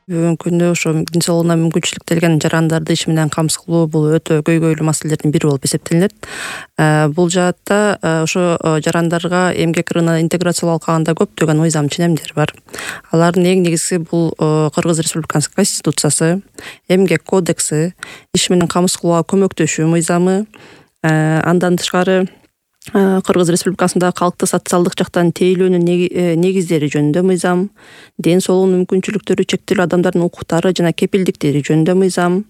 Бүгүнкү күндө ошо ден соолугуна мүмкүнчүлүктелген жарандарды иш менен камсыз кылуу бул өтө көйгөйлүү маселелердин бири болуп эсептелинет. Бул жаатта ошо жарандарга эмгек рыногуна интеграциялап алганда көптөгөн мыйзам ченемдер бар. Алардын эң негизгиси бул Кыргыз Республикасынын Конституциясы, эмгек кодекси, иш менен камсыз кылууга көмөктөшүү мыйзамы, андан тышкары Кыргыз Республикасындагы калкты социалдык жактан тейлөөнүн негиздери жөнүндө мыйзам, ден соолугунун мүмкүнчүлүктөрү чектелүү адамдардын укуктары жана кепилдиктери жөнүндө мыйзам,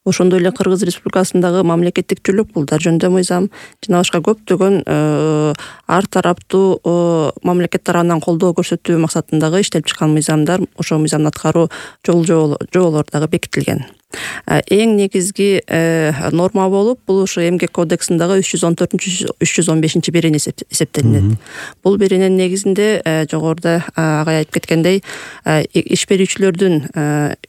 ошондой эле Кыргыз Республикасындагы мамлекеттик жүлөк пулдар жөнүндө мыйзам жана башка көптөгөн ар тараптуу мамлекет тарабынан колдоо көрсөтүү максатындагы иштелип чыккан мыйзамдар, ошол мыйзамды аткаруу жоболору дагы бекитилген. Эң негизги норма болуп бул ушу эмгек кодексиндагы 314-315 берене эсептелинет. Бул берененин негизинде жогоруда агай айтып кеткендей, иш берүүчүлөрдүн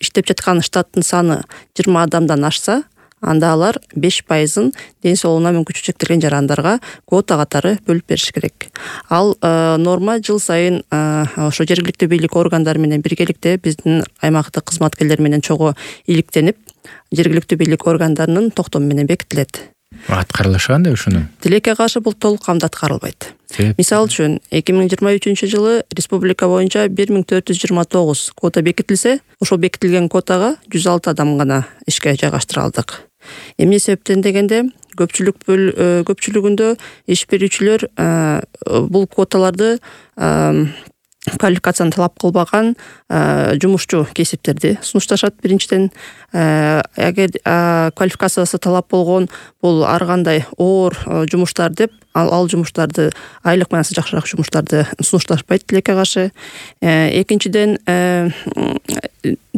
иштеп жаткан штаттын саны 20 адамдан ашса, анда алар 5%-ын ден соолугуна мүмкүнчүлүгү чектелген жарандарга квота катары бөлүп бериш керек. Ал норма жыл сайын ошо жергиликтүү бийлик органдары менен биргеликте биздин аймактык кызматкерлер менен чогуу иликтенип, жергиликтүү бийлик органдарынын токтому менен бекитилет. Аткарылышы кандай ушунун? Тилекке каршы бул толук камда аткарылбайт. Мисалы үчүн 2023-жылы республика боюнча 1429 квота бекитилсе, ошол бекитилген квотага 106 адам гана ишке жайгаштырылдык. Эмне себептен дегенде, көпчүлүгүндө иш берүүчүлөр бул квоталарды квалификацияны талап кылбаган жумушчу кесиптерди сунушташат. Биринчиден, эгер квалификациясы талап болгон бул ар кандай оор жумуштар деп, ал жумуштарды, айлык манасы жакшыраак жумуштарды сунушташпайт тилекке каршы. Экинчиден,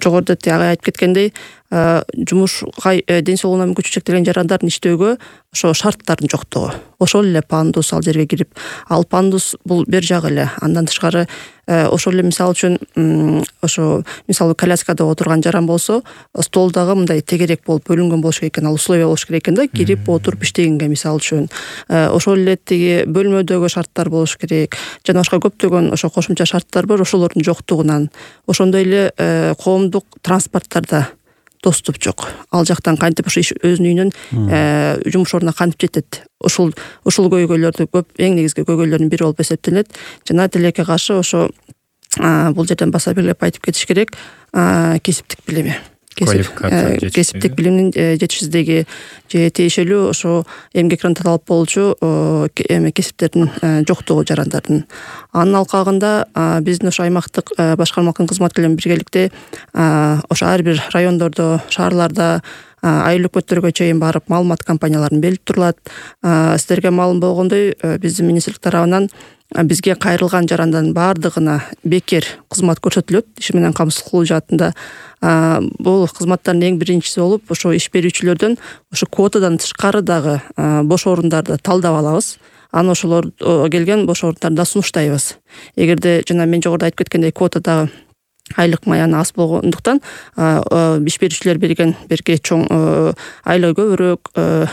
жогоруда агай айтып кеткендей, жумушка ден соолугуна мүмкүнчүлүгү чектелген жарандардын иштөөгө ошо шарттардын жоктугу. Ошол эле пандус ал жерге кирип, ал пандус бул бер жагы эле. Андан тышкары ошол эле мисалы үчүн ошо мисалы коляскада отурган жаран болсо, столдагы мындай тегерек болуп бөлүнгөн болуш керек экен, ал условия болуш керек экен да, кирип отуруп иштегенге мисалы үчүн. Ошол эле тиги бөлмөдөгү шарттар болуш керек. Жана башка көптөгөн ошо кошумча шарттар бар, ошолордун жоктугунан. Ошондой эле коомдук транспорттарда доступ жок. Ал жактан кантип ошо өзүнүн үйүнүн жумуш ордуна кантип жетет? Ушул көйгөйлөрдү эң негизги көйгөйлөрдүн бири болуп эсептелет. Жана тилекке каршы ошо бул жерден баса белгилеп айтып кетиш керек, кесиптик билими. Кесиптик билимдин жетишсиздиги же тиешелүү ошо эмгек рыногуна талап болчу кесиптердин жоктугу жарандардын. Анын алкагында биздин ошо аймактык башкармалыктын кызматкерлери биргеликте ошо ар бир райондордо, шаарларда айыл өкмөттөргө чейин барып маалымат кампанияларын белип турулат. Сиздерге маалым болгондой, биздин министрлик тарабынан бизге кайрылган жарандардын баардыгына бекер кызмат көрсөтүлөт. Иш менен камсыз кылуу жаатында бул кызматтардын эң биринчиси болуп, ошо иш берүүчүлөрдөн ошо квотадан тышкары дагы бош орундарды талдап алабыз. Аны ошолор келген бош орундарда сунуштайбыз. Эгерде жана мен жогоруда айтып кеткендей квотадагы айлык маяны аз болгондуктан иш берүүчүлөр берген берке чоң айлыгы көбүрөөк,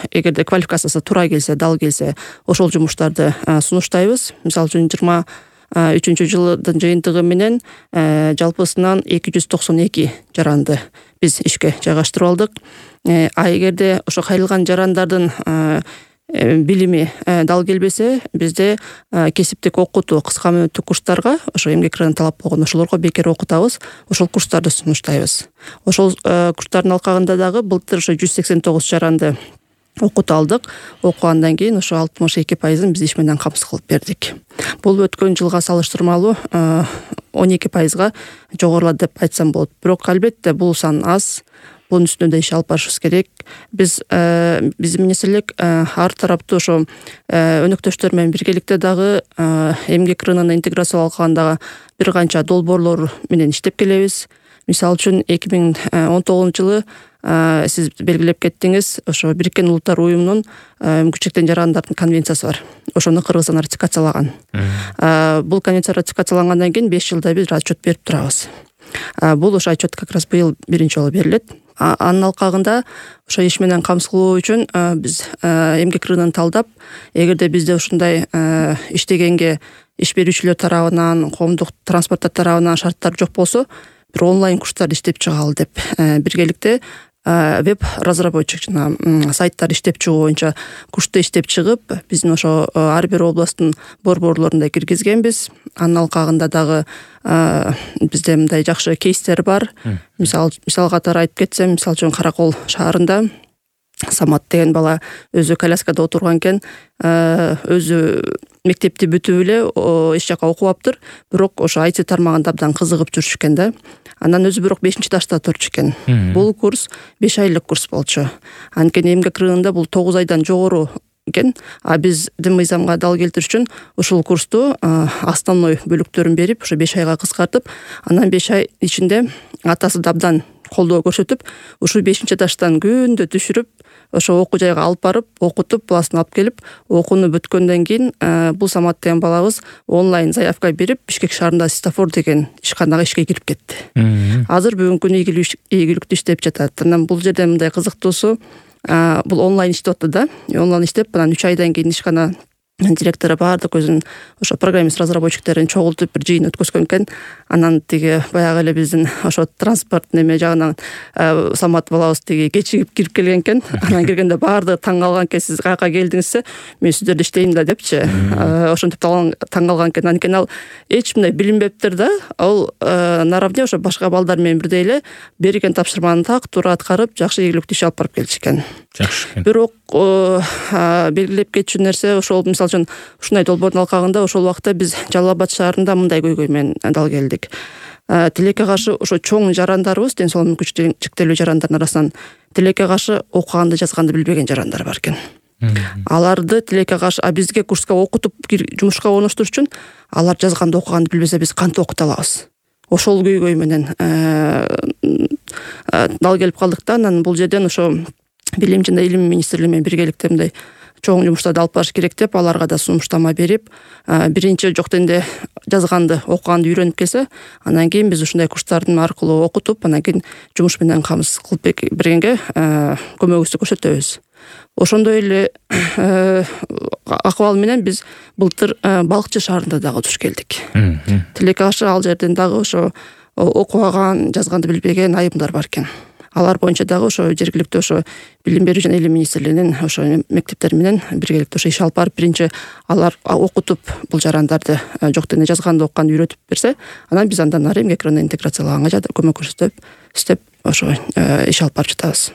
эгерде квалификациясы туура келсе, дал келсе, ошол жумуштарды сунуштайбыз. Мисалы үчүн 23-жылдын жыйынтыгы менен жалпысынан 292 жаранды биз ишке жайгаштырып алдык. Эгерде ошо кайрылган жарандардын билими дал келбесе, бизде кесиптик окутуу кыска мөөнөттүк курстарга ошо эмгек рыногуна талап болгон ошолорго бекер окутабыз, ошол курстарды сунуштайбыз. Ошол курстардын алкагында дагы былтыр ошо 189 жаранды окутуп алдык. Окугандан кийин ошо 62%-ын биз иш менен камсыз кылып бердик. Бул өткөн жылга салыштырмалуу 12%-га жогорулады деп айтсам болот. Бирок албетте бул сан аз. Bunun üstünde iş alıp barışыбыз керек. Биздин министрлик ар тараптуу ошо өнөктөштөр менен биргеликте дагы эмгек рыногуна интеграциялап алгандагы бир канча долбоорлор менен иштеп келебиз. Мисалы үчүн 2019-жылы сиз белгилеп кеттиңиз, ошо Бириккен Улуттар Уюмунун мүмкүнчүлүктүү жарандардын конвенциясы бар. Ошону Кыргызстан ратификациялаган. Бул конвенция ратификациялангандан кийин 5 жылда бир отчет берип турабыз. Бул ошо отчет как раз быйыл биринчи жолу берилет. Анын алкагында ошо иш менен камсыз кылуу үчүн биз эмгек рыногун талдап, эгерде бизде ушундай иштегенге иш берүүчүлөр тарабынан, коомдук транспорттор тарабынан шарттар жок болсо, бир онлайн курстар иштеп чыгалы деп биргеликте веб разработчик жана сайттар иштеп чыгуу боюнча курсту иштеп чыгып, биздин ошо ар бир областтын борборлорунда киргизгенбиз. Анын алкагында дагы бизде мындай жакшы кейстер бар. Мисал катары айтып кетсем, мисалы үчүн Каракол шаарында Самат деген бала өзү коляскада отурган экен, өзү мектепти бүтүп эле эч жака окубаптыр, бирок ошо IT тармагында абдан кызыгып жүрчү экен да. Андан өзү бирок 5-дашта турчу экен. Бул курс 5 айлык курс болчу. Анткени эмгек рыногунда бул 9 айдан жогору экен. А биз мыйзамга дал келтириш үчүн ушул курсту основной бөлүктөрүн берип, ошо 5 айга кыскартып, анан 5 ай ичинде атасы да абдан колдоо көрсөтүп, ушул 5-даштан күндө түшүрүп, ошо окуу жайга алып барып, окутуп, баласын алып келип, окууну бүткөндөн кийин бул Самат деген балабыз онлайн заявка берип, Бишкек шаарында Светофор деген ишканага ишке кирип кетти. Азыр бүгүнкү күнү ийгиликтүү иштеп жатат. Анан бул жерде мындай кызыктуусу, бул онлайн иштеп атты да. Онлайн иштеп, анан 3 айдан кийин ишкана директору баардык өзүнүн ошо программист разработчиктерин чогултуп бир жыйын өткөзгөн экен. Анан тиги баягы эле биздин ошо транспорт неме жагынан Самат балабыз тиги кечигип кирип келген экен. Анан киргенде баардыгы таң калган экен, сиз каяка келдиңизсе, мен сиздерде иштейм да депчи. Ошентип таң калган экен. Анткени ал эч мындай билинбептир да. Ал наравне ошо башка балдар менен бирдей эле берген тапшырманы так туура аткарып, жакшы ийгиликтүү иш алып барып келчү экен. Жакшы экен. Бирок белгилеп кетчү нерсе ошол, мисалы үчүн ушундай долбоордун алкагында ошол убакта биз Жалал Абад шаарында мындай көйгөй менен дал келдик. Тилекке каршы ошо чоң жарандарыбыз, ден соолугу мүмкүнчүлүгү чектелүү жарандардын арасынан тилекке каршы окуганды жазганды билбеген жарандар бар экен. Аларды тилекке каршы бизге курска окутуп жумушка орноштуруш үчүн алар жазганды окуганды билбесе биз кантип окута алабыз? Ошол көйгөй менен дал келип калдык да. Анан бул жерден ошо Билим жана Илим министрлиги менен биргеликте мындай чоң жумуштарды алып барыш керек деп, аларга да сунуштама берип, биринчи жок дегенде жазганды, окуганды үйрөнүп келсе, анан кийин биз ушундай курстардын аркылуу окутуп, анан кийин жумуш менен камсыз кылып бергенге көмөгүбүздү көрсөтөбүз. Ошондой эле акыбал менен биз былтыр Балыкчы шаарында дагы туш келдик. Тилекке каршы ал жерден дагы ошо окубаган, жазганды билбеген айымдар бар экен. Алар боюнча дагы ошо жергиликтүү ошо Билим берүү жана Илим министрлигинин ошо мектептери менен биргеликте ошо иш алып барып, биринчи алар окутуп бул жарандарды жок дегенде жазганды окуганды үйрөтүп берсе, анан биз андан ары эмгек рыногуна интеграциялаганга көмөк көрсөтүп, иштеп ошо иш алып барып жатабыз.